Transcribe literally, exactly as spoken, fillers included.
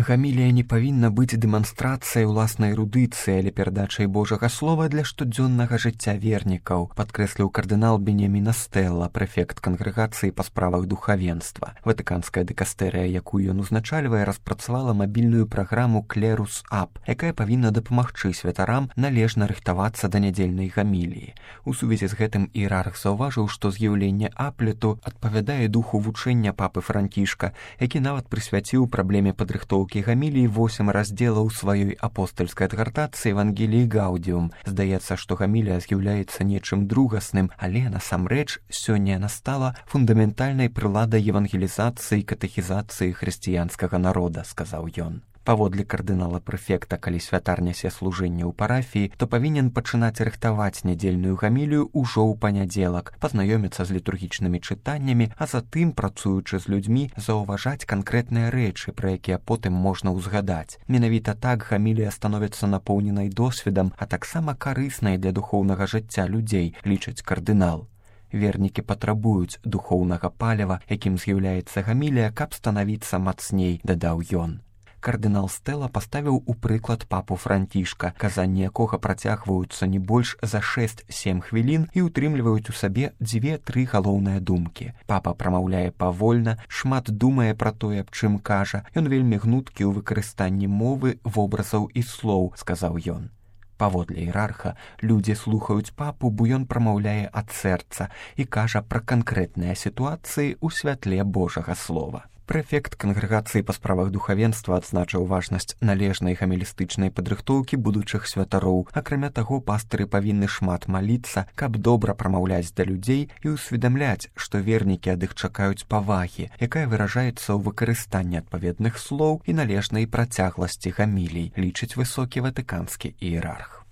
Гамілія не павінна быць дэманстрацыяй уласнай эрудыцыі, але перадачай Божага слова для штодзённага жыцця вернікаў, падкрэсліў кардынал Беньямін Стэлла, прэфект кангрэгацыі па справах духавенства. Ватыканская дыкастэрыя, якую ён узначальвае, распрацавала мабільную праграму «Клерус Ап», якая павінна дапамагчы святарам належна рыхтавацца да нядзельнай гаміліі. У сувязі з гэтым іерарх заўважыў, што з'яўленне аплету адпавядае духу вучэння папы Францішка, які нават прысвяціў праблеме падрыхтоўкі гаміліі восем раздзелаў сваёй апостальскай адгартацыі «Евангеліі Гаудіум». Здаецца, што гамілія з'яўляецца нечым другасным, але насамрэч сёння яна стала фундаментальнай прыладай евангелізацыі і катэхізацыі хрысціянскага народа, сказаў ён. Паводле кардынала-прэфекта, калі святар нясе служэнне ў парафіі, то павінен пачынаць рыхтаваць нядзельную гамілію ўжо ў панядзелак, пазнаёміцца з літургічнымі чытаннямі, а затым, працуючы з людзьмі, заўважаць канкрэтныя рэчы, пра якія потым можна ўзгадаць. Менавіта так гамілія становіцца напоўненай досведам, а таксама карыснай для духоўнага жыцця людзей, лічыць кардынал. Вернікі патрабуюць духоўнага паліва, якім з'яўляецца гамілія, каб станавіцца мацней, дадаў ён. Кардынал Стэлла паставіў у прыклад папу Францішка, казанні якога працягваюцца не больш за шэсць-сем хвілін і ўтрымліваюць у сабе дзве-тры галоўныя думкі. Папа прамаўляе павольна, шмат думае пра тое, аб чым кажа. Ён вельмі гнуткі ў выкарыстанні мовы, вобразаў і слоў, сказаў ён. Паводле іерарха, людзі слухаюць папу, бо ён прамаўляе ад сэрца і кажа пра канкрэтныя сітуацыі ў святле Божага слова. Прэфект кангрэгацыі па справах духавенства адзначыў важнасць належнай гамілістычнай падрыхтоўкі будучых святароў. Акрамя таго, пастыры павінны шмат маліцца, каб добра прамаўляць да людзей і ўсведамляць, што вернікі ад іх чакаюць павагі, якая выражаецца ў выкарыстанні адпаведных слоў і належнай працягласці гамілій, лічыць высокі ватыканскі іерарх.